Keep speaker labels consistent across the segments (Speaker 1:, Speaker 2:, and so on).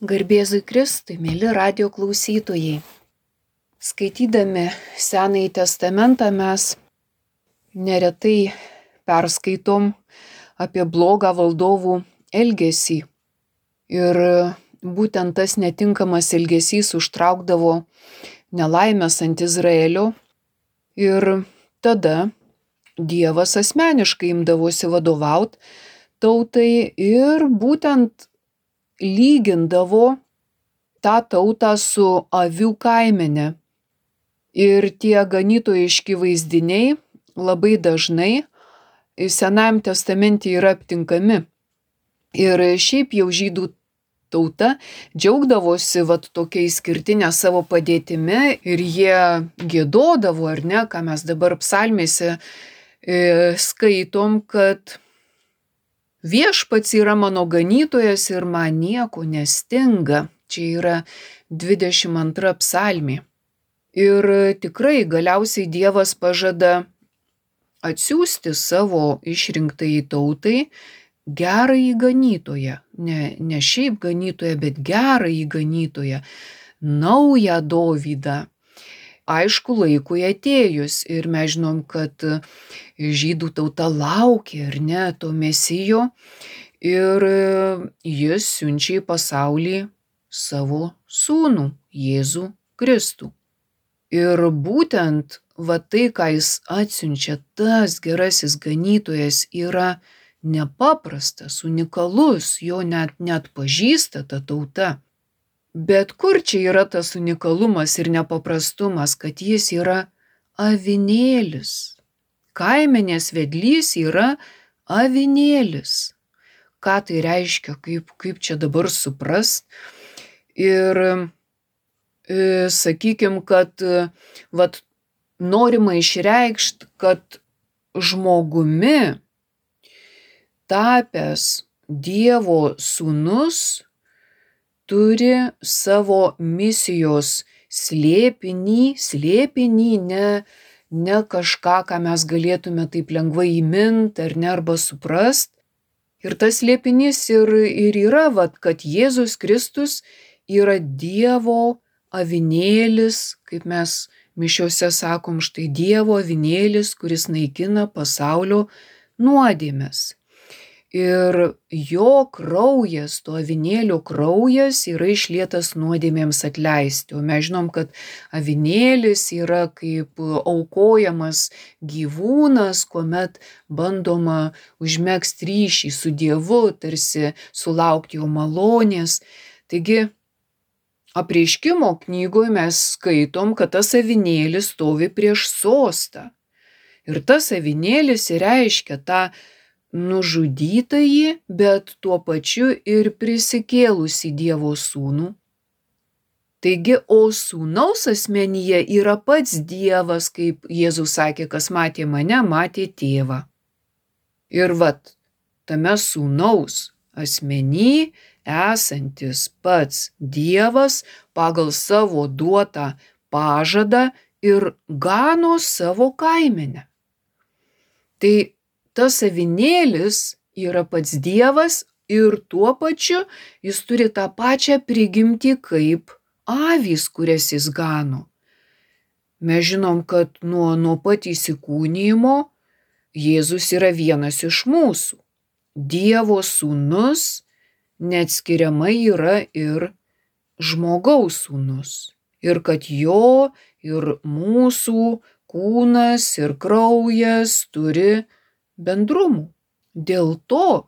Speaker 1: Garbėzui Kristui, mėly radijo klausytojai. Skaitydami Senąjį testamentą mes neretai perskaitom apie blogą valdovų elgesį. Ir būtent tas netinkamas elgesys užtraukdavo nelaimės ant Izraelio. Ir tada Dievas asmeniškai imdavosi vadovauti tautai ir būtent lygindavo tą tautą su avių kaimene. Ir tie ganytojiški vaizdiniai labai dažnai Senajam testamente yra aptinkami. Ir šiaip jau žydų tauta džiaugdavosi tokia išskirtinė savo padėtimi ir jie giedodavo, ar ne, ką mes dabar psalmėse skaitom, kad viešpats yra mano ganytojas ir man nieko nestinga. Čia yra 22 psalmė. Ir tikrai galiausiai Dievas pažada atsiųsti savo išrinktąjį tautai gerąjį ganytoją. Ne šiaip ganytoją, bet gerąjį ganytoją. Naują Dovydą. Aišku, laikui atėjus. Ir mes žinom, kad žydų tauta laukia, ar ne, to mesijo. Ir jis siunčia į pasaulį savo sūnų, Jėzų Kristų. Ir būtent tai, ką jis atsiunčia, tas gerasis ganytojas yra nepaprastas, unikalus, jo net pažįsta ta tauta. Bet kur čia yra tas unikalumas ir nepaprastumas, kad jis yra avinėlis. Kaimenės vedlys yra avinėlis. Ką tai reiškia, kaip čia dabar suprast? Ir sakykim, kad norima išreikšti, kad žmogumi tapęs Dievo sūnus turi savo misijos slėpinį, ne kažką, ką mes galėtume taip lengvai įmint ar ne, arba suprast. Ir tas slėpinys ir yra, kad Jėzus Kristus yra Dievo avinėlis, kaip mes mišiose sakom, štai Dievo avinėlis, kuris naikina pasaulio nuodėmes. Ir jo kraujas, to avinėlio kraujas yra išlietas nuodėmėms atleisti. O mes žinom, kad avinėlis yra kaip aukojamas gyvūnas, kuomet bandoma užmegzti ryšį su Dievu, tarsi sulaukti jo malonės. Taigi, Apreiškimo knygoje mes skaitom, kad tas avinėlis stovi prieš sostą. Ir tas avinėlis reiškia tą nužudytąjį, bet tuo pačiu ir prisikėlusį Dievo sūnų. Taigi, o sūnaus asmenyje yra pats Dievas, kaip Jėzus sakė, kas matė mane, matė tėvą. Ir tame sūnaus asmeny esantis pats Dievas pagal savo duotą pažadą ir gano savo kaimenę. Tai tas avinėlis yra pats Dievas ir tuo pačiu jis turi tą pačią prigimtį kaip avys, kurias jis gano. Mes žinom, kad nuo pat įsikūnijimo Jėzus yra vienas iš mūsų. Dievo sūnus neatskiriamai yra ir žmogaus sūnus. Ir kad jo ir mūsų kūnas ir kraujas turi bendrumų. Dėl to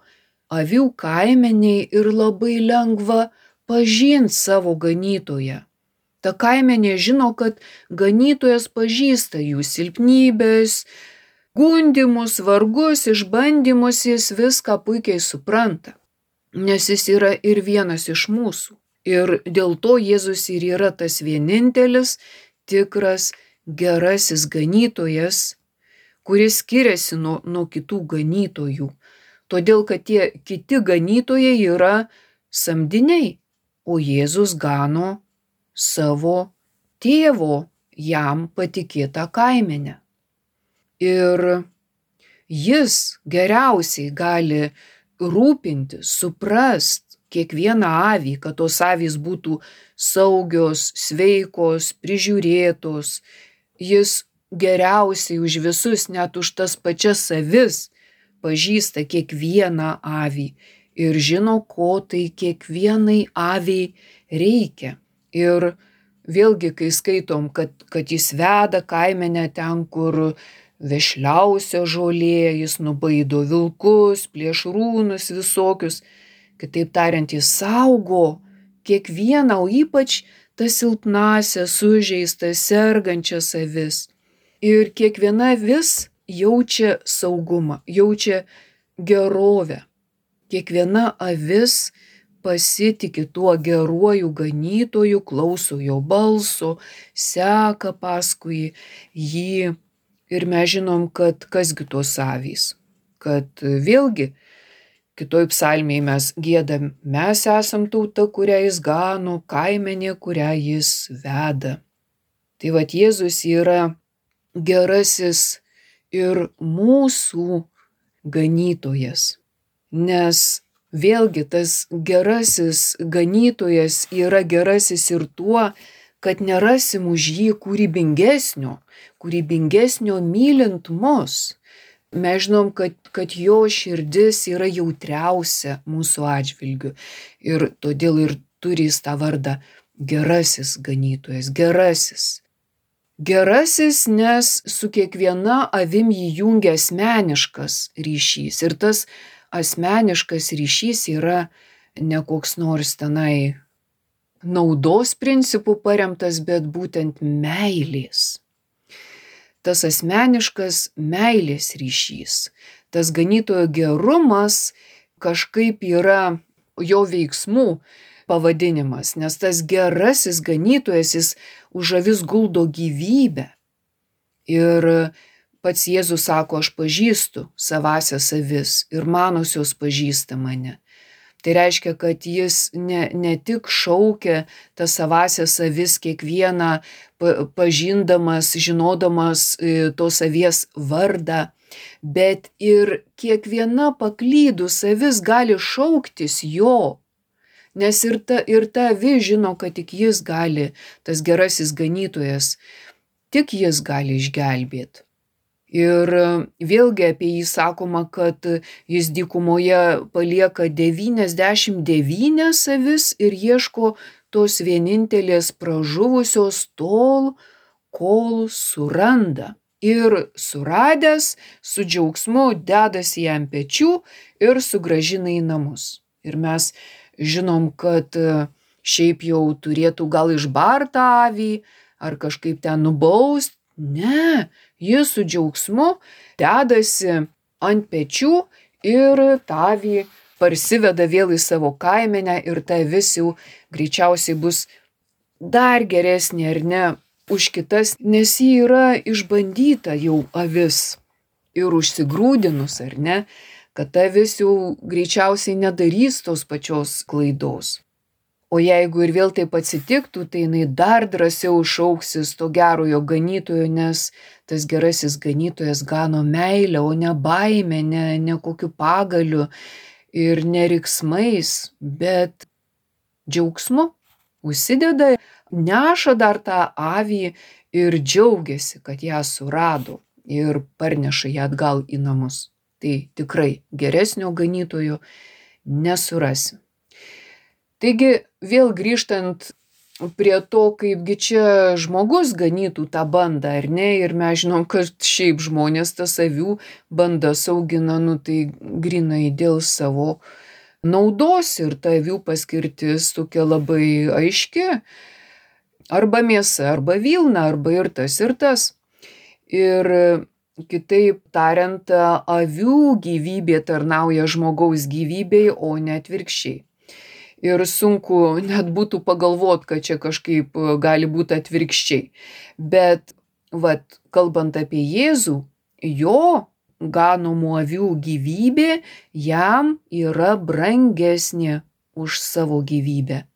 Speaker 1: avių kaimeniai ir labai lengva pažinti savo ganytoją. Ta kaimenė žino, kad ganytojas pažįsta jų silpnybės, gundymus, vargus, išbandymus, jis viską puikiai supranta, nes jis yra ir vienas iš mūsų. Ir dėl to Jėzus ir yra tas vienintelis, tikras, gerasis ganytojas, kuris skiriasi nuo kitų ganytojų. Todėl, kad tie kiti ganytojai yra samdiniai, o Jėzus gano savo tėvo jam patikėtą kaimenę. Ir jis geriausiai gali rūpintis, suprast, kiekvieną avį, kad tos avys būtų saugios, sveikos, prižiūrėtos. Jis geriausiai už visus, net už tas pačias avis, pažįsta kiekvieną avį ir žino, ko tai kiekvienai aviai reikia. Ir vėlgi, kai skaitom, kad jis veda kaimenę ten, kur vešliausia žolė, jis nubaido vilkus, plėšrūnus visokius. Kitaip tariant, jis saugo kiekvieną, o ypač tas silpnasias, sužeistas, sergančias avis. Ir kiekviena avis jaučia saugumą, jaučia gerovę. Kiekviena avis pasitiki tuo geruoju ganytoju, klauso jo balso, seka paskui jį. Ir mes žinom, kad kasgi tos avys. Kad vėlgi, kitoj psalmėje mes giedam, mes esam tauta, kurią jis gano, kaimenė, kurią jis veda. Tai vat Jėzus yra gerasis ir mūsų ganytojas. Nes vėlgi tas gerasis ganytojas yra gerasis ir tuo, kad nerasim už jį kūrybingesnio mylint mus. Mes žinom, kad jo širdis yra jautriausia mūsų atžvilgiu. Ir todėl ir turi jis tą vardą gerasis ganytojas, gerasis. Gerasis, nes su kiekviena avim jį jungia asmeniškas ryšys. Ir tas asmeniškas ryšys yra ne koks nors tenai naudos principų paremtas, bet būtent meilės. Tas asmeniškas meilės ryšys, tas ganytojo gerumas kažkaip yra jo veiksmų pavadinimas, nes tas gerasis ganytojas, jis už avis guldo gyvybę. Ir pats Jėzus sako, aš pažįstu savąsias avis ir manosios pažįsta mane. Tai reiškia, kad jis ne tik šaukia tas savąsias avis kiekvieną pažindamas, žinodamas tos avies vardą, bet ir kiekviena paklydus avis gali šauktis jo. Nes ir ta avis žino, kad tik jis gali, tas gerasis ganytojas, tik jis gali išgelbėti. Ir vėlgi apie jį sakoma, kad jis dykumoje palieka 99 avis ir ieško tos vienintelės pražuvusios tol, kol suranda. Ir suradęs su džiaugsmu dedasi jam pečių ir sugrąžina į namus. Ir mes žinom, kad šiaip jau turėtų gal išbartą avį ar kažkaip ten nubaust. Ne, jis su džiaugsmu dedasi ant pečių ir tą avį parsiveda vėl į savo kaimenę ir ta avis jau greičiausiai bus dar geresnė ar ne už kitas, nes ji yra išbandyta jau avis ir užsigrūdinus ar ne, kad ta avis jau greičiausiai nedarys tos pačios klaidos. O jeigu ir vėl taip atsitiktų, tai jinai dar drąsiau šauksis to gerojo ganytojo, nes tas gerasis ganytojas gano meilę, o ne baimę, ne kokiu pagaliu ir ne riksmais, bet džiaugsmu. Užsideda, neša dar tą avį ir džiaugiasi, kad ją surado ir parneša ją atgal į namus. Tai tikrai geresnio ganytojo nesurasim. Taigi vėl grįžtant prie to, kaipgi čia žmogus ganytų tą bandą, ar ne, ir mes žinom, kad šiaip žmonės tas avių bandas augina, tai grinai dėl savo naudos ir ta avių paskirtis tokia labai aiški, arba mėsa, arba vilna, arba ir tas ir tas. Ir kitaip tariant, avių gyvybė tarnauja žmogaus gyvybei, o ne atvirkščiai. Ir sunku net būtų pagalvoti, kad čia kažkaip gali būti atvirkščiai. Bet, kalbant apie Jėzų, jo ganomų avių gyvybė jam yra brangesnė už savo gyvybę.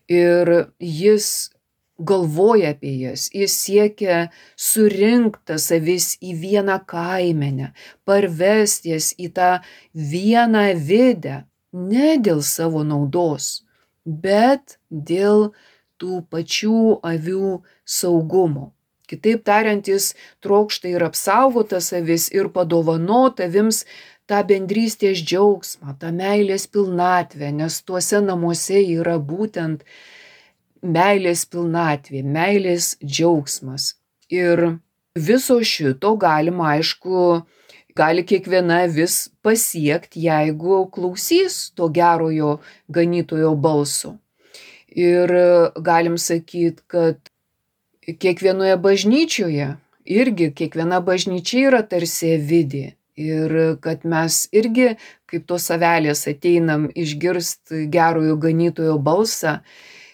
Speaker 1: Ir jis galvoja apie jas, jis siekia surinkti tas avis į vieną kaimenę, parvesti jas į tą vieną avidę, ne dėl savo naudos, bet dėl tų pačių avių saugumo. Kitaip tariant, jis trokšta ir apsaugotas avis, ir padovanot avims tą bendrystės džiaugsmą, tą meilės pilnatvę, nes tuose namuose yra būtent meilės pilnatvė, meilės džiaugsmas. Ir viso šito galima, aišku, gali kiekviena avis pasiekti, jeigu klausys to gerojo ganytojo balso. Ir galim sakyti, kad kiekvienoje bažnyčioje irgi kiekviena bažnyčia yra tarsi avidė. Ir kad mes irgi, kaip tos avelės, ateinam išgirst gerojo ganytojo balsą,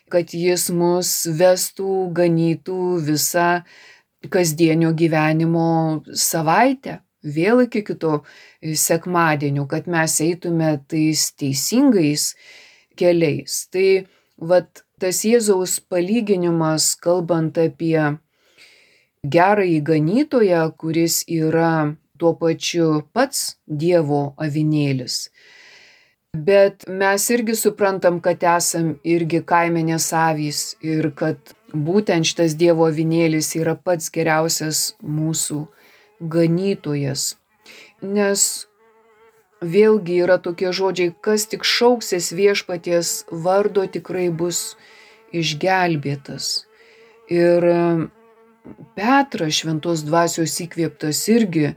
Speaker 1: kad jis mus vestų, ganytų visą kasdienio gyvenimo savaitę, vėl iki kito sekmadienio, kad mes eitume tais teisingais keliais. Tai vat tas Jėzaus palyginimas, kalbant apie gerąjį ganytoją, kuris yra tuo pačiu pats Dievo avinėlis. Bet mes irgi suprantam, kad esam irgi kaimenės avys ir kad būtent šitas Dievo avinėlis yra pats geriausias mūsų ganytojas. Nes vėlgi yra tokie žodžiai, kas tik šauksis viešpaties vardo, tikrai bus išgelbėtas. Ir Petras, šventos dvasios įkvėptas, irgi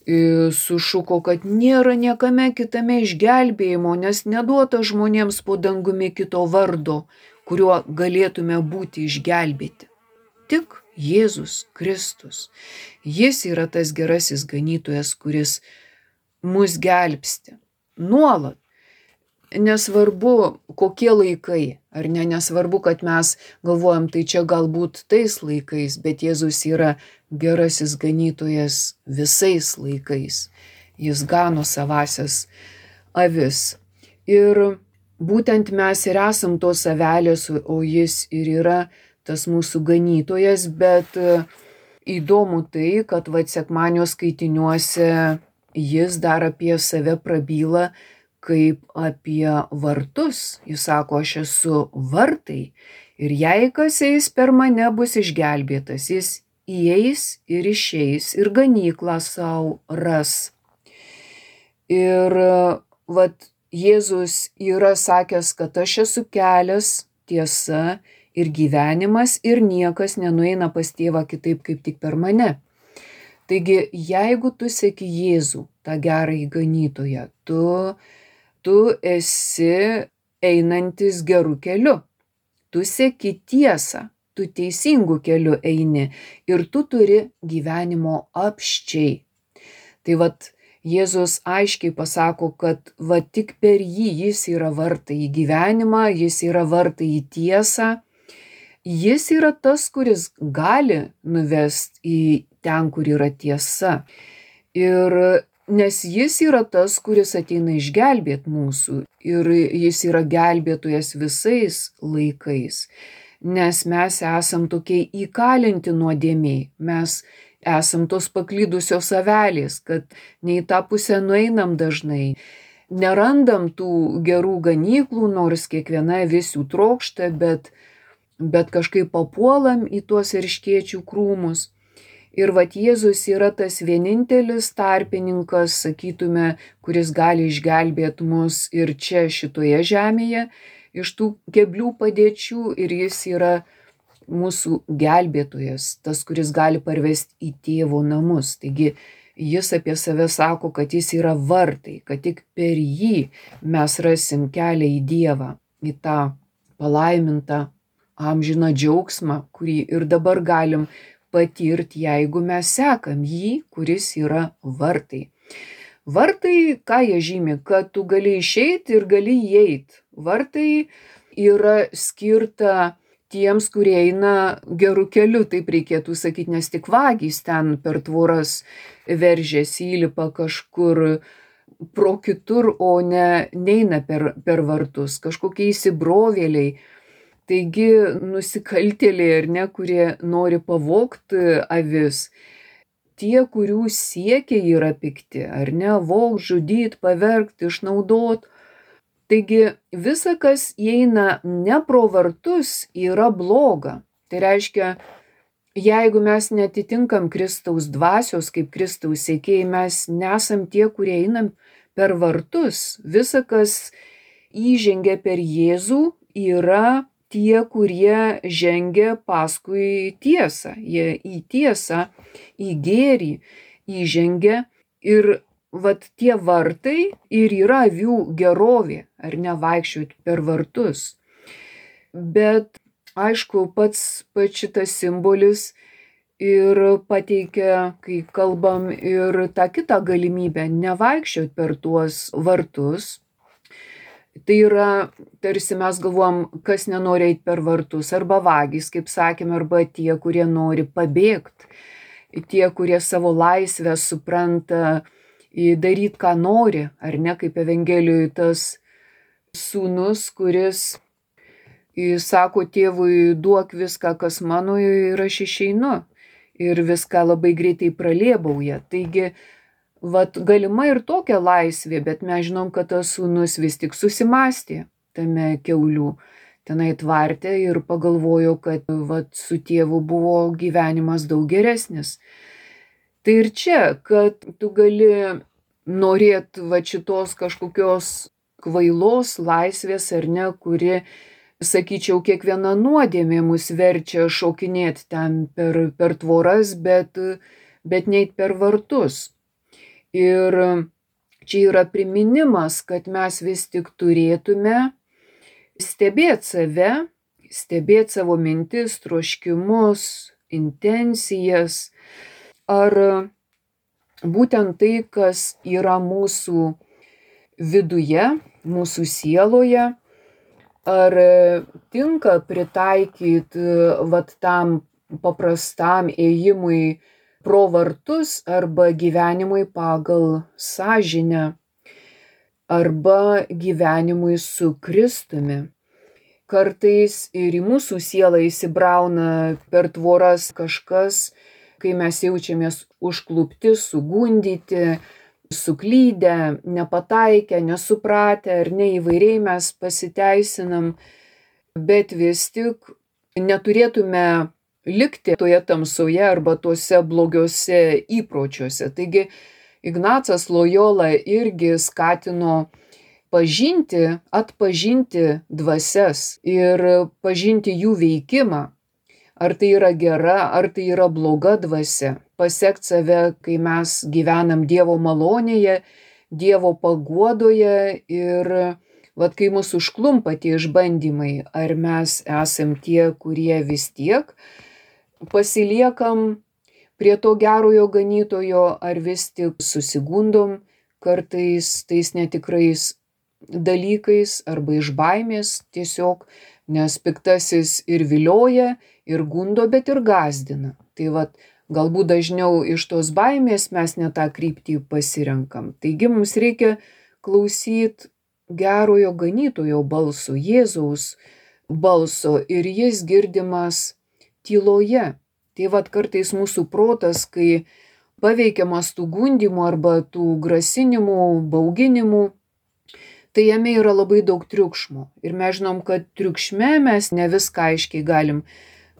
Speaker 1: sušuko, kad nėra niekame kitame išgelbėjimo, nes neduota žmonėms po dangumi kito vardo, kuriuo galėtume būti išgelbėti. Tik Jėzus Kristus. Jis yra tas gerasis ganytojas, kuris mus gelbsti nuolat. Nesvarbu, kokie laikai, ar ne, nesvarbu, kad mes galvojam, tai čia galbūt tais laikais, bet Jėzus yra gerasis ganytojas visais laikais. Jis gano savasias avis. Ir būtent mes ir esam tos avelės, o jis ir yra tas mūsų ganytojas, bet įdomu tai, kad sekmadienio skaitiniuose jis dar apie save prabyla kaip apie vartus. Jis sako, aš esu vartai ir jei kas eis per mane, bus išgelbėtas. Jis įeis ir išeis ir ganyklą savo ras. Ir vat Jėzus yra sakęs, kad aš esu kelias, tiesa ir gyvenimas ir niekas nenueina pas tėvą kitaip kaip tik per mane. Taigi, jeigu tu seki Jėzų, tą gerąjį ganytoją, tu esi einantis gerų keliu. Tu seki tiesą, tu teisingų kelių eini ir tu turi gyvenimo apsčiai. Tai vat Jėzus aiškiai pasako, kad va tik per jį jis yra vartai į gyvenimą, jis yra vartai į tiesą. Jis yra tas, kuris gali nuvesti į ten, kur yra tiesa. Ir nes jis yra tas, kuris ateina išgelbėti mūsų ir jis yra gelbėtojas visais laikais, nes mes esam tokie įkalinti nuodėmėj, mes esam tos paklydusios avelės, kad ne į tą pusę nueinam dažnai, nerandam tų gerų ganyklų, nors kiekviena avis jų trokšta, bet kažkaip papuolam į tuos erškėčių krūmus. Ir vat Jėzus yra tas vienintelis tarpininkas, sakytume, kuris gali išgelbėti mus ir čia šitoje žemėje iš tų keblių padėčių ir jis yra mūsų gelbėtojas, tas, kuris gali parvesti į tėvo namus. Taigi jis apie save sako, kad jis yra vartai, kad tik per jį mes rasim kelią į Dievą, į tą palaimintą amžiną džiaugsmą, kurį ir dabar galim patirti, jeigu mes sekam jį, kuris yra vartai. Vartai, ką jie žymi, kad tu gali išeiti ir gali įeiti. Vartai yra skirta tiems, kurie eina gerų kelių, taip reikėtų sakyti, nes tik vagys ten per tvoras veržiasi, įlipa kažkur pro kitur, o neina per vartus, kažkokie įsibrovėliai. Taigi nusikaltėliai, ar ne, kurie nori pavogti avis, tie, kurių siekiai yra pikti, ar ne, vog, žudyt, pavergt, išnaudot, Taigi visa, kas įeina ne pro vartus, yra bloga. Tai reiškia, jeigu mes netitinkam Kristaus dvasios kaip Kristaus sekėjai, mes nesam tie, kurie einam per vartus. Visa, kas įžengia per Jėzų, yra tie, kurie žengia paskui tiesą. Jie į tiesą, į gėrį įžengia ir vat tie vartai ir yra avių gerovė, ar ne, vaikščioti per vartus. Bet aišku, pats šitas simbolis ir pateikia, kai kalbam, ir tą kitą galimybę nevaikščioti per tuos vartus. Tai yra, tarsi mes galvom, kas nenori eiti per vartus, arba vagys, kaip sakėme, arba tie, kurie nori pabėgti, tie, kurie savo laisvę supranta daryti, ką nori, ar ne, kaip Evangelijoje tas sūnus, kuris sako tėvui, duok viską, kas mano, ir aš išeinu. Ir viską labai greitai pralėbauja. Taigi, vat galima ir tokia laisvė, bet mes žinom, kad tas sūnus vis tik susimastė tame kiaulių tenai tvarte ir pagalvojo, kad vat su tėvu buvo gyvenimas daug geresnis. Tai ir čia, kad tu gali norėti vat šitos kažkokios kvailos laisvės, ar ne, kuri, sakyčiau, kiekviena nuodėmė mus verčia šokinėti ten per tvoras, bet neit per vartus. Ir čia yra priminimas, kad mes vis tik turėtume stebėti save, stebėti savo mintis, troškimus, intencijas, ar būtent tai, kas yra mūsų viduje, mūsų sieloje, ar tinka pritaikyti vat tam paprastam ėjimui pro vartus arba gyvenimui pagal sąžinę arba gyvenimui su Kristumi. Kartais ir į mūsų sielą įsibrauna per tvoras kažkas, kai mes jaučiamės užklupti, sugundyti, suklydę, nepataikę, nesupratę ar ne, įvairiai mes pasiteisinam, bet vis tik neturėtume likti toje tamsoje arba tuose blogiuose įpročiuose. Taigi Ignacas Lojola irgi skatino pažinti, atpažinti dvasias ir pažinti jų veikimą. Ar tai yra gera, ar tai yra bloga dvasia. Pasekti save, kai mes gyvenam Dievo malonėje, Dievo paguodoje ir vat kai mus užklumpa tie išbandymai, ar mes esam tie, kurie vis tiek pasiliekam prie to gerojo ganytojo, ar vis tik susigundom kartais tais netikrais dalykais arba iš baimės tiesiog, nes piktasis ir vilioja, ir gundo, bet ir gąsdina. Tai vat galbūt dažniau iš tos baimės mes ne tą kryptį pasirenkam. Taigi mums reikia klausyti gerojo ganytojo balso, Jėzaus balso, ir jis girdimas tyloje. Tai vat kartais mūsų protas, kai paveikiamas tų gundymų arba tų grasinimų, bauginimų, tai jame yra labai daug triukšmo. Ir mes žinom, kad triukšme mes ne viską aiškiai galim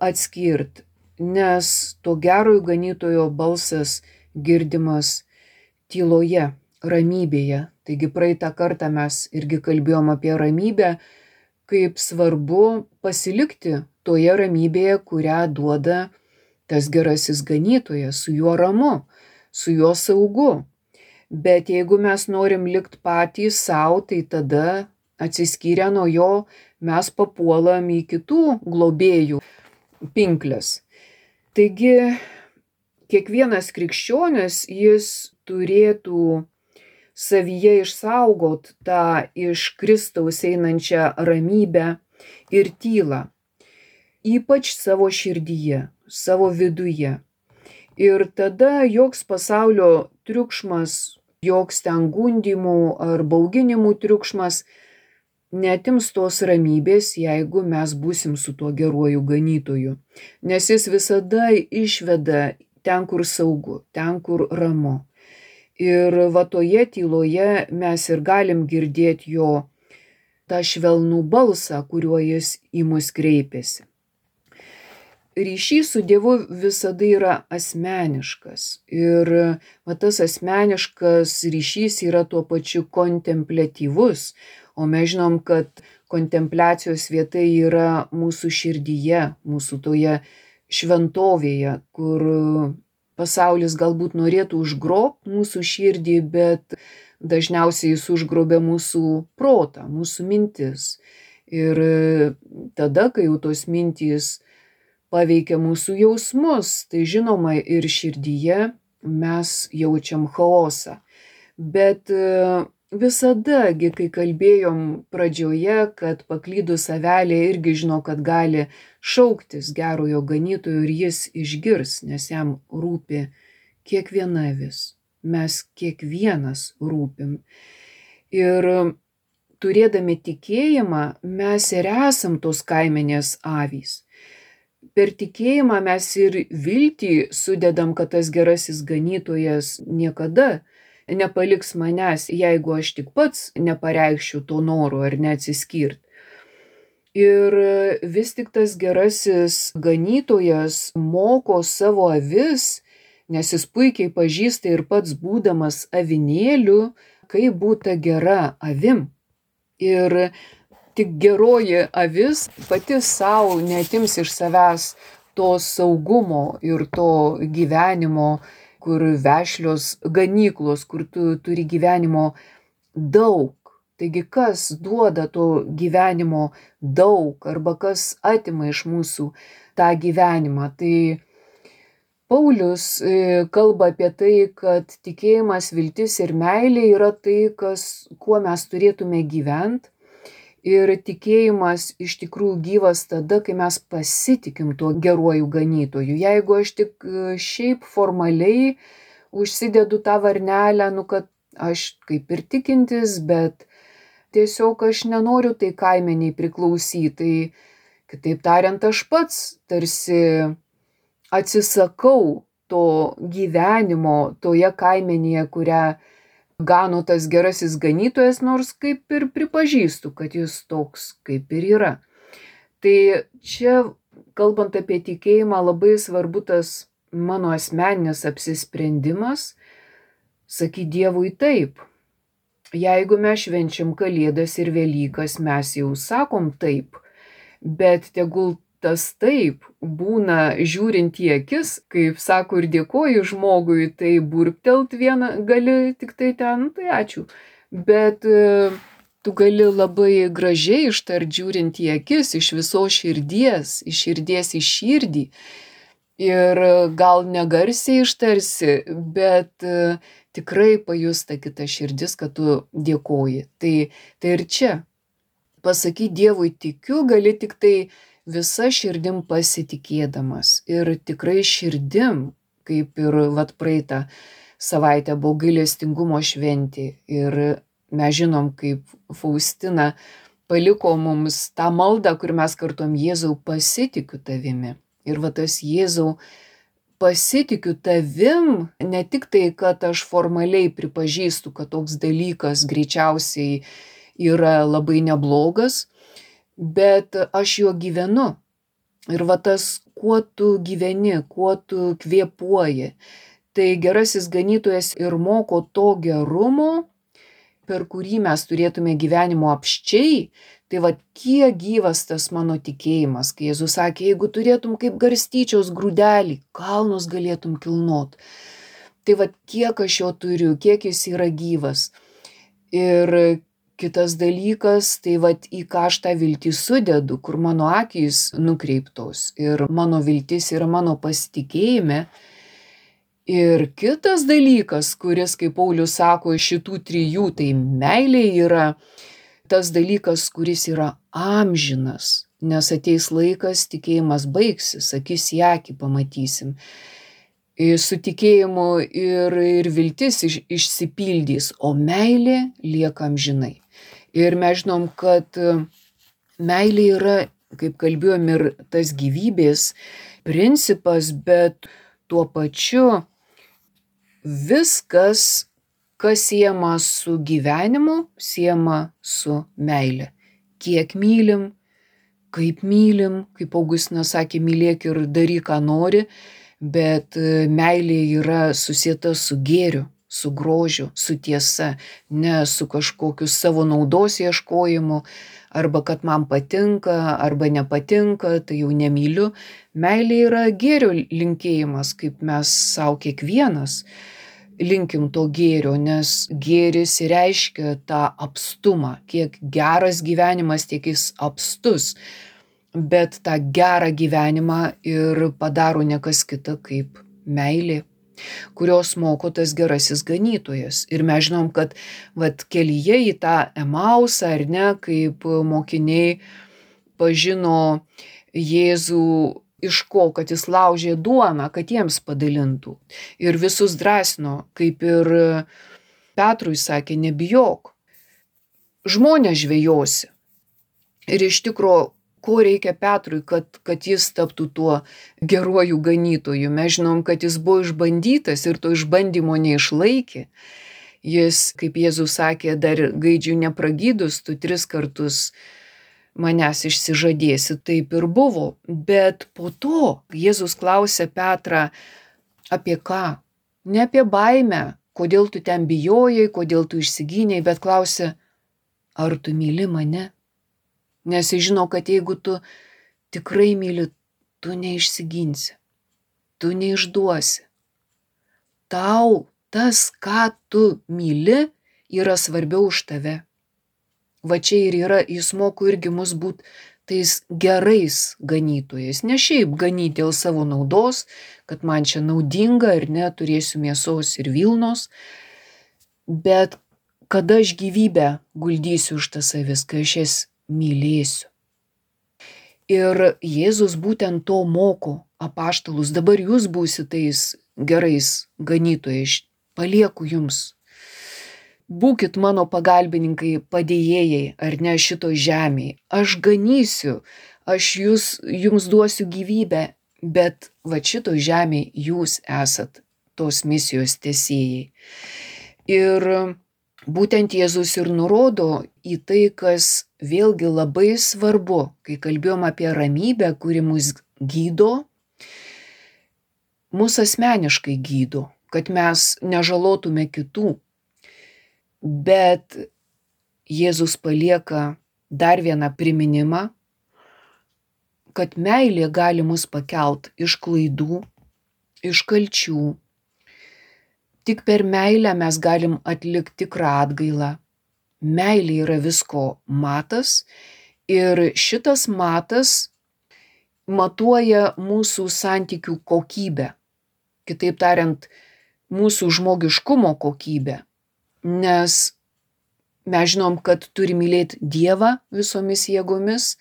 Speaker 1: atskirti, nes to gerojo ganytojo balsas girdimas tyloje, ramybėje. Taigi praeitą kartą mes irgi kalbėjom apie ramybę, kaip svarbu pasilikti toje ramybėje, kurią duoda tas gerasis ganytojas, su juo ramu, su juo saugu. Bet jeigu mes norim likti patys savo, tai tada atsiskyrę nuo jo mes papuolam į kitų globėjų pinkles. Taigi kiekvienas krikščionis, jis turėtų savyje išsaugot tą iš Kristaus einančią ramybę ir tylą, ypač savo širdyje, savo viduje. Ir tada joks pasaulio triukšmas, joks ten gundymų ar bauginimų triukšmas neatims tos ramybės, jeigu mes būsim su tuo geruoju ganytoju. Nes jis visada išveda ten, kur saugu, ten, kur ramu. Ir va toje tyloje mes ir galim girdėti jo tą švelnų balsą, kuriuo jis į mus kreipiasi. Ryšys su Dievu visada yra asmeniškas ir tas asmeniškas ryšys yra tuo pačiu kontempliatyvus, o mes žinom, kad kontempliacijos vieta yra mūsų širdyje, mūsų toje šventovėje, kur pasaulis galbūt norėtų užgrobti mūsų širdį, bet dažniausiai jis užgrobia mūsų protą, mūsų mintis. Ir tada, kai jau tos mintys paveikia mūsų jausmus, tai žinoma ir širdyje mes jaučiam chaosą. Bet visada, kai kalbėjom pradžioje, kad paklydus avelė irgi žino, kad gali šauktis gerojo ganytojo ir jis išgirs, nes jam rūpi kiekviena avis. Mes kiekvienas rūpim. Ir turėdami tikėjimą, mes ir esam tos kaimenės avys. Per tikėjimą mes ir viltį sudedam, kad tas gerasis ganytojas niekada nepaliks manęs, jeigu aš tik pats nepareikščiau to noro ar neatsiskirt. Ir vis tik tas gerasis ganytojas moko savo avis, nes jis puikiai pažįsta ir pats būdamas avinėliu, kaip būta gera avim. Ir tik geroji avis pati savo neatims iš savęs to saugumo ir to gyvenimo, kur vešlios ganyklos, kur tu turi gyvenimo daug. Taigi kas duoda to gyvenimo daug arba kas atima iš mūsų tą gyvenimą. Tai Paulius kalba apie tai, kad tikėjimas, viltis ir meilė yra tai, kuo mes turėtume gyventi. Ir tikėjimas iš tikrųjų gyvas tada, kai mes pasitikim tuo geruoju ganytoju. Jeigu aš tik šiaip formaliai užsidedu tą varnelę, kad aš kaip ir tikintis, bet tiesiog aš nenoriu tai kaimeniai priklausyti. Tai kitaip tariant, aš pats tarsi atsisakau to gyvenimo toje kaimenėje, kurią gano tas gerasis ganytojas, nors kaip ir pripažįstu, kad jis toks kaip ir yra. Tai čia, kalbant apie tikėjimą, labai svarbu tas mano asmeninis apsisprendimas, sakyti Dievui taip. Jeigu mes švenčiam Kalėdas ir Velykas, mes jau sakom taip, bet tegul tas taip būna žiūrint į akis, kaip sako ir dėkoju žmogui, tai burptelt vieną gali tik tai ten, tai ačiū. Bet tu gali labai gražiai ištart žiūrint į akis, iš visos širdies, iš širdies į širdį. Ir gal negarsiai ištarsi, bet tikrai pajusta kita širdis, kad tu dėkoji. Tai ir čia. Pasakyti Dievui tikiu gali tik tai visa širdim pasitikėdamas. Ir tikrai širdim, kaip ir praeitą savaitę buvo gailestingumo šventė. Ir mes žinom, kaip Faustina paliko mums tą maldą, kur mes kartuom Jėzau pasitikiu tavimi. Ir tas Jėzau pasitikiu tavim, ne tik tai, kad aš formaliai pripažįstu, kad toks dalykas greičiausiai yra labai neblogas, bet aš juo gyvenu. Ir tas, kuo tu gyveni, kuo tu kvėpuoji. Tai gerasis ganytojas ir moko to gerumo, per kurį mes turėtume gyvenimo apsčiai. Tai kiek gyvas tas mano tikėjimas, kai Jėzus sakė, jeigu turėtum kaip garstyčios grūdelį, kalnus galėtum kilnot. Tai kiek aš jo turiu, kiek jis yra gyvas. Ir kitas dalykas, tai į ką aš tą viltį sudedu, kur mano akys nukreiptos ir mano viltis yra mano pasitikėjime. Ir kitas dalykas, kuris, kaip Paulius sako, šitų trijų, tai meilė yra tas dalykas, kuris yra amžinas, nes ateis laikas, tikėjimas baigsis, akis į akį pamatysim. Su tikėjimu ir viltis išsipildys, o meilė lieka amžinai. Ir mes žinom, kad meilė yra, kaip kalbėjom, ir tas gyvybės principas, bet tuo pačiu viskas, kas siejama su gyvenimu, siejama su meile. kiek mylim, kaip Augustinas sakė, mylėk ir daryk, ką nori, bet meilė yra susieta su gėriu, su grožiu, su tiesa, ne su kažkokiu savo naudos ieškojimu, arba kad man patinka, arba nepatinka, tai jau nemyliu. Meilė yra gėrio linkėjimas, kaip mes savo kiekvienas linkim to gėrio, nes gėris reiškia tą apstumą. Kiek geras gyvenimas, tiek jis apstus. Bet tą gerą gyvenimą ir padaro ne kas kita kaip meilė, kurios moko tas gerasis ganytojas. Ir mes žinom, kad kelyje į tą Emausą, ar ne, kaip mokiniai pažino Jėzų iš ko, kad jis laužė duoną, kad jiems padalintų. Ir visus drąsino, kaip ir Petrui sakė, nebijok, žmonės žvejosi. Ir iš tikro, ko reikia Petrui, kad jis taptų tuo geruoju ganytoju. Mes žinom, kad jis buvo išbandytas ir to išbandymo neišlaikė. Jis, kaip Jėzus sakė, dar gaidžių nepragydus, tu 3 kartus manęs išsižadėsi, taip ir buvo. Bet po to Jėzus klausė Petrą apie ką? Ne apie baimę, kodėl tu ten bijojai, kodėl tu išsigynei, bet klausė, ar tu myli mane? Nes jis žino, kad jeigu tu tikrai myli, tu neišsiginsi, tu neišduosi. Tau tas, ką tu myli, yra svarbiau už tave. Va čia ir yra, jis moko irgi mus būti tais gerais ganytojais. Ne šiaip ganyti dėl savo naudos, kad man čia naudinga ir neturėsiu mėsos ir vilnos, bet kada aš gyvybę guldysiu už tas avis, kai aš jas mylėsiu. Ir Jėzus būtent to moko apaštalus. Dabar jūs būsite tais gerais ganytojais. Palieku jums. Būkit mano pagalbininkai, padėjėjai, ar ne šito žemėje. Aš ganysiu, aš jums duosiu gyvybę, bet va šito žemėje jūs esat tos misijos tęsėjai. Ir būtent Jėzus ir nurodo į tai, kas vėlgi labai svarbu, kai kalbėjom apie ramybę, kuri mus gydo, mus asmeniškai gydo, kad mes nežalotume kitų. Bet Jėzus palieka dar vieną priminimą, kad meilė gali mus pakelt iš klaidų, iš kalčių. Tik per meilę mes galim atlikti tikrą atgailą. Meilė yra visko matas ir šitas matas matuoja mūsų santykių kokybę. Kitaip tariant, mūsų žmogiškumo kokybę. Nes mes žinom, kad turi mylėti Dievą visomis jėgomis,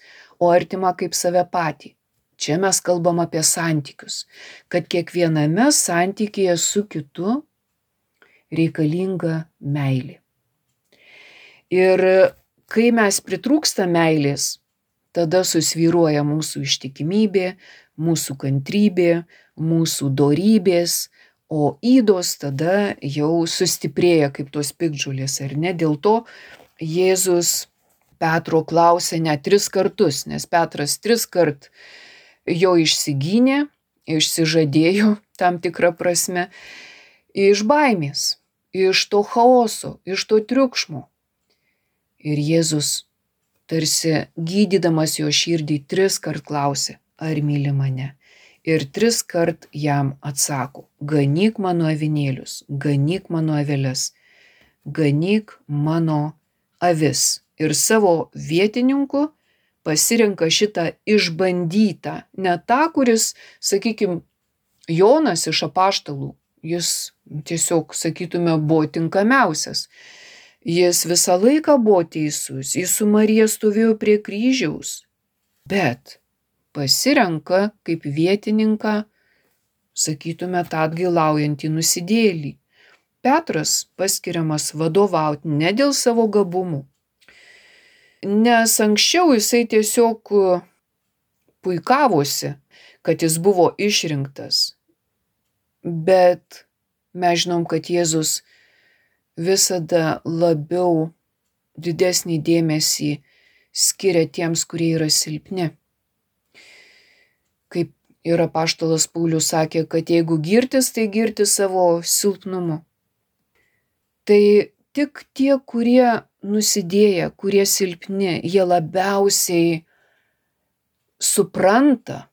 Speaker 1: o artimą kaip save patį. Čia mes kalbam apie santykius, kad kiekviename santykyje su kitu reikalinga meilė. Ir kai mes pritrūksta meilės, tada susvyruoja mūsų ištikimybė, mūsų kantrybė, mūsų dorybės, o ydos tada jau sustiprėja kaip tos piktžolės, ar ne? Dėl to Jėzus Petro klausė net 3 kartus, nes Petras 3 kart jo išsigynė, išsižadėjo tam tikrą prasme, iš baimės, iš to chaoso, iš to triukšmo. Ir Jėzus, tarsi gydydamas jo širdį, 3 kart klausė, ar myli mane? Ir 3 kart jam atsako, ganyk mano avinėlius, ganyk mano aveles, ganyk mano avis. Ir savo vietininku pasirenka šitą išbandytą, ne tą, kuris, sakykime, Jonas iš apaštalų, jis tiesiog, sakytume, buvo tinkamiausias. Jis visą laiką buvo teisus, jis su Marija stovėjo prie kryžiaus, bet pasirenka kaip vietininką, sakytume, tą atgailaujantį nusidėjėlį. Petras paskiriamas vadovauti ne dėl savo gabumų, nes anksčiau jisai tiesiog puikavosi, kad jis buvo išrinktas. Bet mes žinom, kad Jėzus visada labiau didesnį dėmesį skiria tiems, kurie yra silpni. Kaip ir apaštalas Paulius sakė, kad jeigu girtis, tai girtis savo silpnumu. Tai tik tie, kurie nusidėję, kurie silpni, jie labiausiai supranta,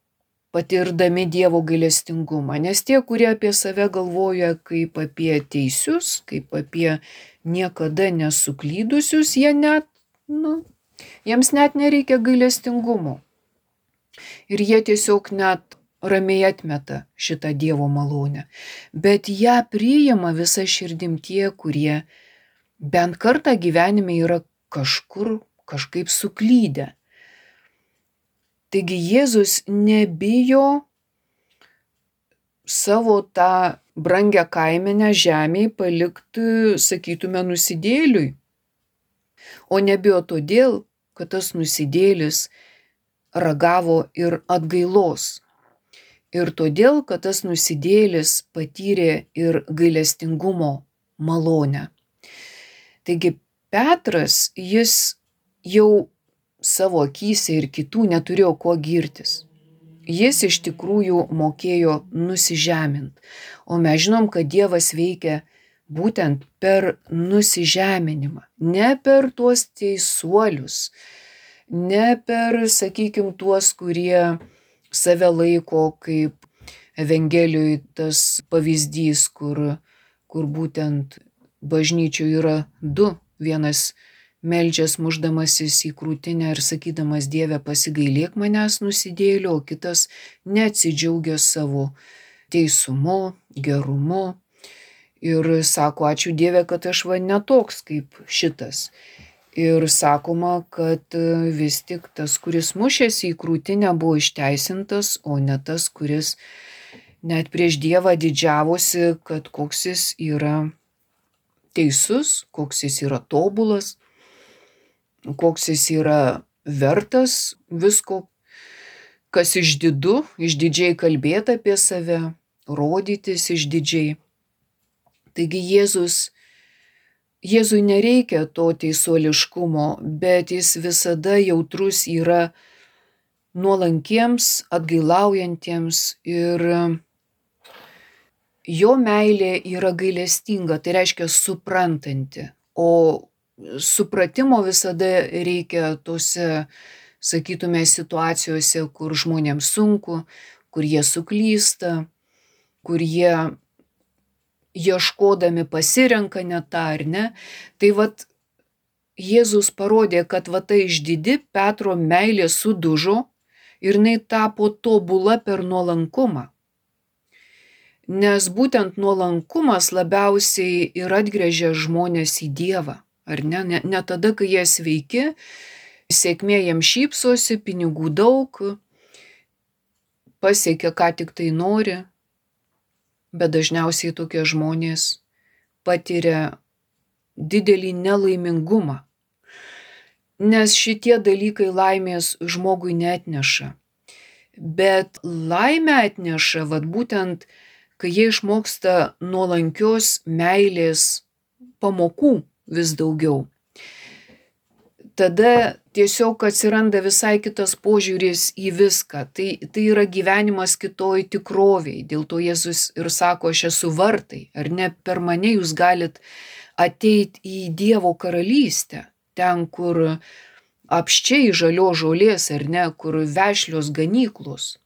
Speaker 1: patirdami Dievo gailestingumą. Nes tie, kurie apie save galvoja kaip apie teisius, kaip apie niekada nesuklydusius, jiems net nereikia gailestingumo. Ir jie tiesiog net ramiai atmeta šitą Dievo malonę. Bet ją priima visa širdim tie, kurie bent kartą gyvenime yra kažkaip suklydę. Taigi Jėzus nebijo savo tą brangią kaimenę žemėje palikti, sakytume, nusidėliui. O nebijo todėl, kad tas nusidėlis ragavo ir atgailos. Ir todėl, kad tas nusidėlis patyrė ir gailestingumo malonę. Taigi Petras, jis jau savo akyse ir kitų neturėjo kuo girtis. Jis iš tikrųjų mokėjo nusižemint. O mes žinom, kad Dievas veikia būtent per nusižeminimą. Ne per tuos teisuolius, ne per, sakykime, tuos, kurie save laiko kaip Evangelijoje tas pavyzdys, kur būtent bažnyčioje yra du. Vienas meldžias muždamasis į krūtinę ir sakydamas Dieve pasigailėk manęs nusidėlio, o kitas neatsidžiaugia savo teisumu, gerumu ir sako ačiū Dieve, kad aš netoks kaip šitas. Ir sakoma, kad vis tik tas, kuris mušėsi į krūtinę, buvo išteisintas, o ne tas, kuris net prieš Dievą didžiavosi, kad koks jis yra teisus, koks jis yra tobulas, koks jis yra vertas visko, kas išdidžiai kalbėti apie save, rodytis išdidžiai. Taigi Jėzui nereikia to teisuoliškumo, bet jis visada jautrus yra nuolankiems, atgailaujantiems ir jo meilė yra gailestinga, tai reiškia suprantanti, o supratimo visada reikia tose, sakytume, situacijose, kur žmonėms sunku, kur jie suklysta, kur jie ieškodami pasirenka ne tą ar ne. Tai Jėzus parodė, kad ta išdidi Petro meilė sudužo ir jinai tapo tobula per nuolankumą. Nes būtent nuolankumas labiausiai ir atgręžia žmonės į Dievą. Ar ne? Ne tada, kai jie sveiki, sėkmė jiems šypsosi, pinigų daug, pasiekia ką tik tai nori, bet dažniausiai tokie žmonės patiria didelį nelaimingumą. Nes šitie dalykai laimės žmogui neatneša. Bet laimę atneša būtent, kai jie išmoksta nuolankios meilės pamokų vis daugiau. Tada tiesiog atsiranda visai kitas požiūris į viską. Tai yra gyvenimas kitoj tikrovėj. Dėl to Jėzus ir sako, aš esu vartai. Ar ne per mane jūs galit ateiti į Dievo karalystę. Ten, kur apščiai žalio žolės, ar ne, kur vešlios ganyklos.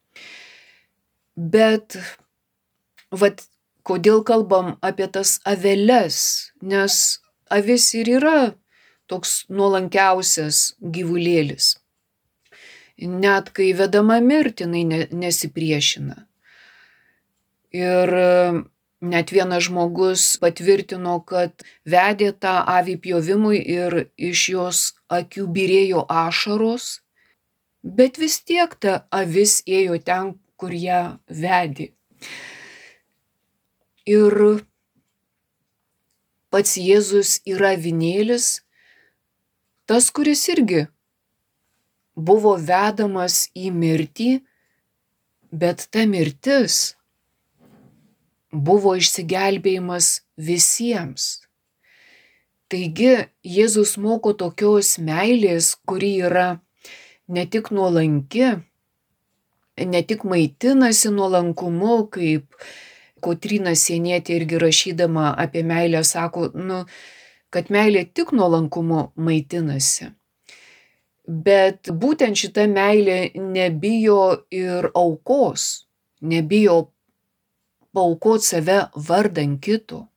Speaker 1: Bet kodėl kalbam apie tas aveles? Nes avis ir yra toks nuolankiausias gyvulėlis. Net kai vedama mirti, jinai nesipriešina. Ir net vienas žmogus patvirtino, kad vedė tą avį pjovimui ir iš jos akių byrėjo ašaros, bet vis tiek ta avis ėjo ten, kur ją vedė. Ir pats Jėzus yra avinėlis, tas, kuris irgi buvo vedamas į mirtį, bet ta mirtis buvo išsigelbėjimas visiems. Taigi Jėzus moko tokios meilės, kuri yra ne tik nuolanki, ne tik maitinasi nuolankumu, kaip Kotryna Sienietė irgi rašydama apie meilę sako, kad meilė tik nuolankumu maitinasi. Bet būtent šita meilė nebijo ir aukos, nebijo paaukoti save vardan kito.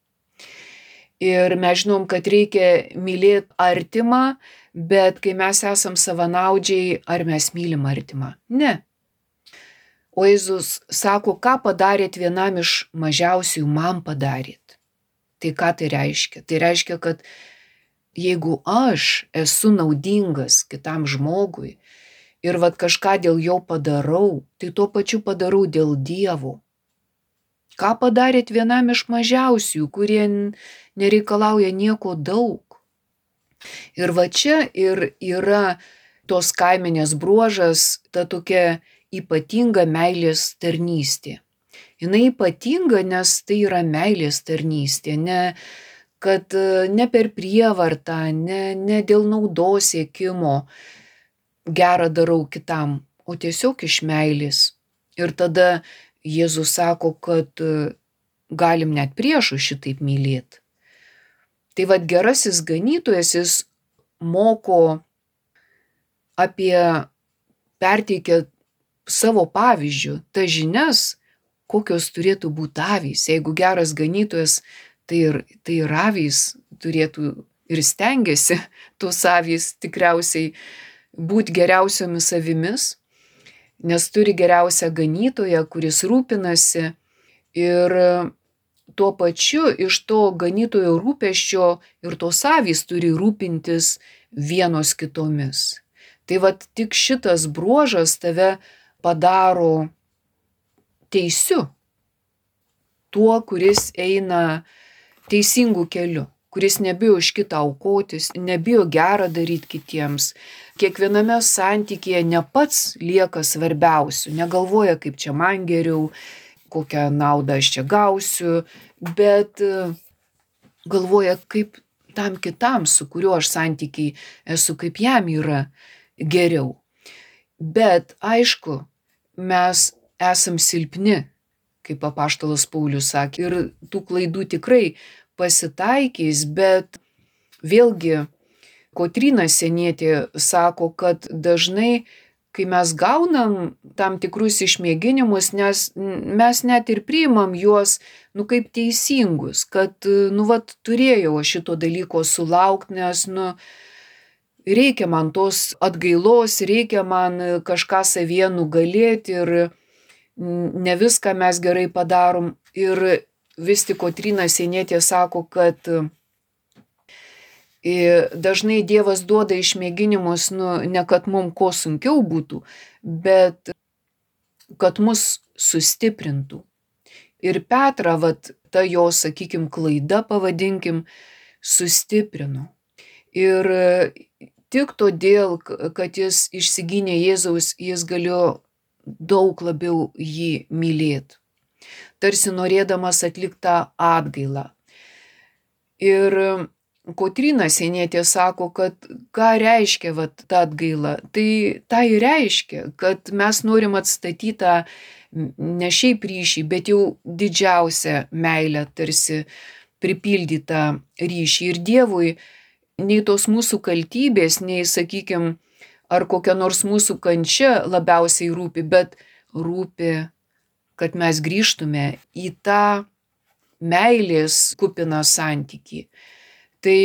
Speaker 1: Ir mes žinom, kad reikia mylėti artimą, bet kai mes esam savanaudžiai, ar mes mylim artimą? Ne. O Jėzus sako, ką padarėt vienam iš mažiausiųjų, man padarėt. Tai ką tai reiškia? Tai reiškia, kad jeigu aš esu naudingas kitam žmogui ir kažką dėl jo padarau, tai tuo pačiu padarau dėl Dievo. Ką padarėt vienam iš mažiausiųjų, kurie nereikalauja nieko daug. Ir čia ir yra tos kaimenės bruožas, ta tokia ypatinga meilės tarnystė. Jinai ypatinga, nes tai yra meilės tarnystė, kad ne per prievartą, ne dėl naudos siekimo gerą darau kitam, o tiesiog iš meilės. Ir tada Jėzus sako, kad galim net priešų šitaip mylėti. Tai gerasis ganytojas, jis moko perteikia savo pavyzdžių, tas žinias, kokios turėtų būti avys. Jeigu geras ganytojas, tai ir avys turėtų ir stengiasi tos avys tikriausiai būti geriausiomis avimis, nes turi geriausią ganytoją, kuris rūpinasi ir tuo pačiu iš to ganytojo rūpesčio ir tos avys turi rūpintis vienos kitomis. Tai tik šitas bruožas tave padaro teisiu, tuo, kuris eina teisingų keliu, kuris nebijo už kitą aukotis, nebijo gerą daryti kitiems. Kiekviename santykyje ne pats lieka svarbiausiu, negalvoja, kaip čia man geriau, kokią naudą aš čia gausiu, bet galvoja, kaip tam kitam, su kuriuo aš santykiai esu, kaip jam yra geriau. Bet aišku, mes esam silpni, kaip apaštalas Paulius sakė, ir tų klaidų tikrai pasitaikys, bet vėlgi Kotryna Sienietė sako, kad dažnai, kai mes gaunam tam tikrus išmėginimus, nes mes net ir priimam juos, kaip teisingus, kad, turėjau šito dalyko sulaukti, nes, reikia man tos atgailos, reikia man kažką savyje nugalėti ir ne viską mes gerai padarom. Ir vis tik Kotryna Sienietė sako, kad dažnai Dievas duoda išmėginimus, ne kad mums ko sunkiau būtų, bet kad mus sustiprintų. Ir Petrą, ta jo, sakykim, klaida, pavadinkim, sustiprino. Ir tik todėl, kad jis išsigynė Jėzaus, jis galėjo daug labiau jį mylėti, tarsi norėdamas atlikti tą atgailą. Ir Kotryna Sienietė sako, kad ką reiškia ta atgaila? Tai reiškia, kad mes norim atstatyti tą ne šiaip ryšį, bet jau didžiausią meilę, tarsi pripildytą ryšį. Ir Dievui nei tos mūsų kaltybės, nei, sakykim, ar kokia nors mūsų kančia labiausiai rūpi, bet rūpi, kad mes grįžtume į tą meilės kupiną santykį. Tai,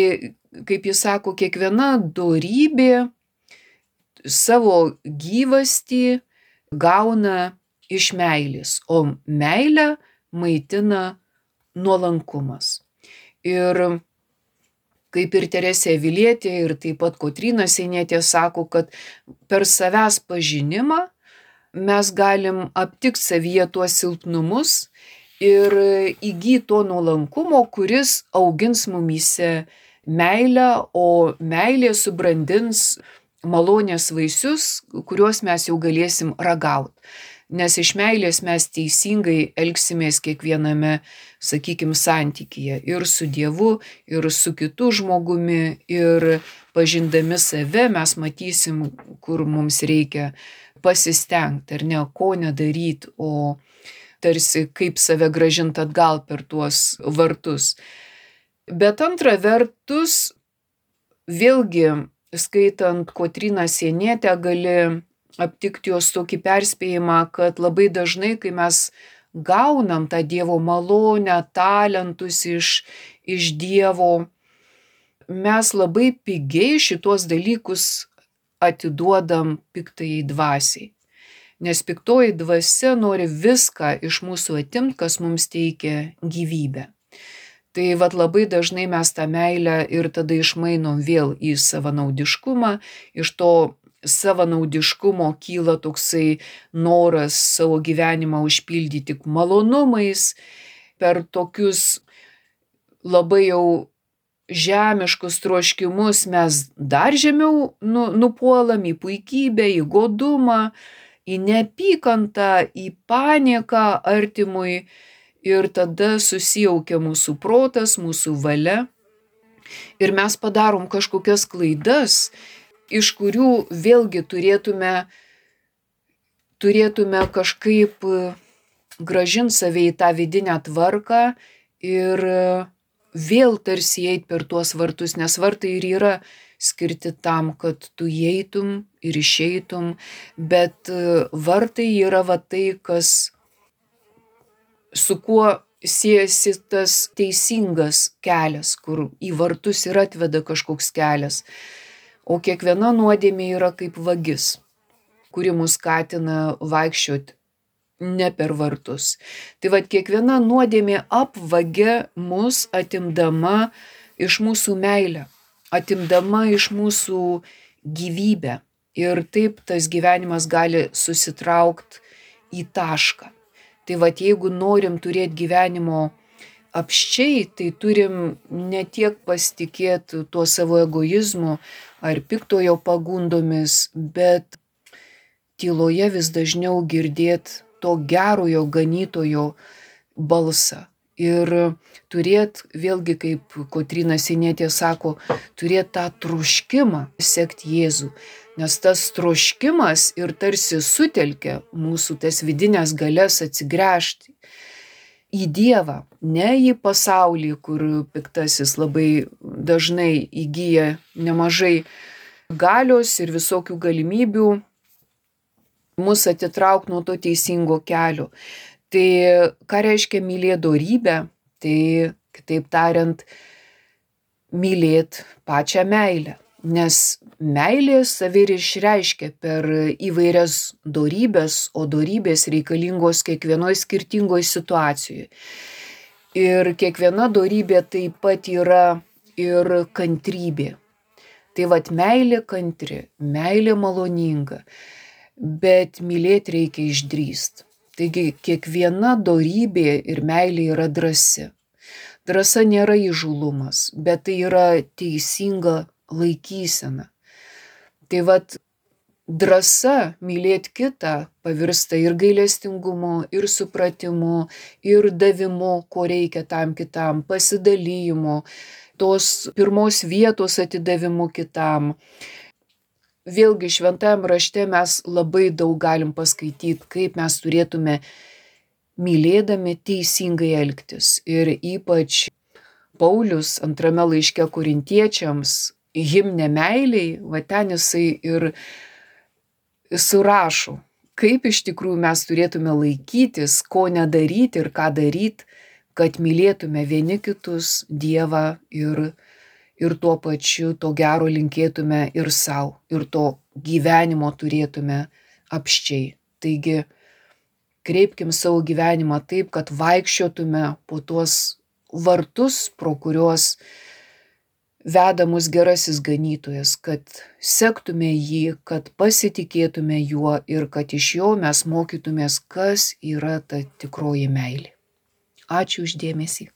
Speaker 1: kaip jis sako, kiekviena dorybė savo gyvastį gauna iš meilės, o meilę maitina nuolankumas. Ir kaip ir Teresė Avilietė ir taip pat Kotryna Sienietė sako, kad per savęs pažinimą mes galim aptikti savyje tuos silpnumus ir įgyti to nuolankumo, kuris augins mumyse meilę, o meilė subrandins malonės vaisius, kuriuos mes jau galėsim ragauti. Nes iš meilės mes teisingai elgsimės kiekviename, sakykime, santykyje. Ir su Dievu, ir su kitu žmogumi, ir pažindami save mes matysim, kur mums reikia pasistengti, ar ne, ko nedaryti, o tarsi kaip save grąžinti atgal per tuos vartus. Bet antra vertus, vėlgi, skaitant Kotryną Sienietę, gali aptikti jos tokį perspėjimą, kad labai dažnai, kai mes gaunam tą Dievo malonę, talentus iš Dievo, mes labai pigiai šitos dalykus atiduodam piktajai dvasiai. Nes piktoji dvasia nori viską iš mūsų atimti, kas mums teikia gyvybę. Tai labai dažnai mes tą meilę ir tada išmainom vėl į savanaudiškumą, iš to savanaudiškumo kyla toksai noras savo gyvenimą užpildyti tik malonumais, per tokius labai jau žemiškus troškimus mes dar žemiau nupuolam į puikybę, į godumą, į neapykantą, į panieką artimui ir tada susijaukia mūsų protas, mūsų valia ir mes padarom kažkokias klaidas, iš kurių vėlgi turėtume kažkaip grąžinti save į tą vidinę tvarką ir vėl tarsi eiti per tuos vartus, nes vartai ir yra skirti tam, kad tu įeitum ir išeitum, bet vartai yra tai, kas su kuo siejasi tas teisingas kelias, kur į vartus ir atveda kažkoks kelias. O kiekviena nuodėmė yra kaip vagis, kuri mus skatina vaikščioti ne per vartus. Tai kiekviena nuodėmė apvagia mus, atimdama iš mūsų meilę, atimdama iš mūsų gyvybę. Ir taip tas gyvenimas gali susitraukti į tašką. Tai jeigu norim turėti gyvenimo apsčiai, tai turim ne tiek pasitikėti tuo savo egoizmu ar piktojo pagundomis, bet tyloje vis dažniau girdėti to gerojo ganytojo balsą. Ir turėti, vėlgi kaip Kotryna Sienietė sako, turėti tą troškimą sekti Jėzų. Nes tas troškimas ir tarsi sutelkia mūsų tas vidinės galias atsigręžti į Dievą, ne į pasaulį, kur piktasis labai dažnai įgyja nemažai galios ir visokių galimybių mus atitraukti nuo to teisingo kelio. Tai ką reiškia mylėti dorybę? Tai kitaip tariant, mylėti pačią meilę. Nes meilė save ir išreiškia per įvairias dorybės, o dorybės reikalingos kiekvienoje skirtingoje situacijoje. Ir kiekviena dorybė taip pat yra ir kantrybė. Tai meilė kantri, meilė maloninga, bet mylėti reikia išdrįsti. Taigi kiekviena dorybė ir meilė yra drąsi. Drąsa nėra įžūlumas, bet tai yra teisinga laikysena. Tai drąsa mylėti kitą pavirsta ir gailestingumu, ir supratimu, ir davimu, ko reikia tam kitam, pasidalymu, tos pirmos vietos atidavimu kitam. Vėlgi šventajam rašte mes labai daug galim paskaityti, kaip mes turėtume mylėdami teisingai elgtis. Ir ypač Paulius antrame laiške Korintiečiams himne meiliai, ten jisai ir surašo, kaip iš tikrųjų mes turėtume laikytis, ko nedaryti ir ką daryti, kad mylėtume vieni kitus, Dievą ir tuo pačiu to gero linkėtume ir savo, ir to gyvenimo turėtume apsčiai. Taigi, kreipkim savo gyvenimą taip, kad vaikščiotume po tuos vartus, pro kuriuos veda mus gerasis ganytojas, kad sektume jį, kad pasitikėtume juo ir kad iš jo mes mokytumės, kas yra ta tikroji meilė. Ačiū už dėmesį.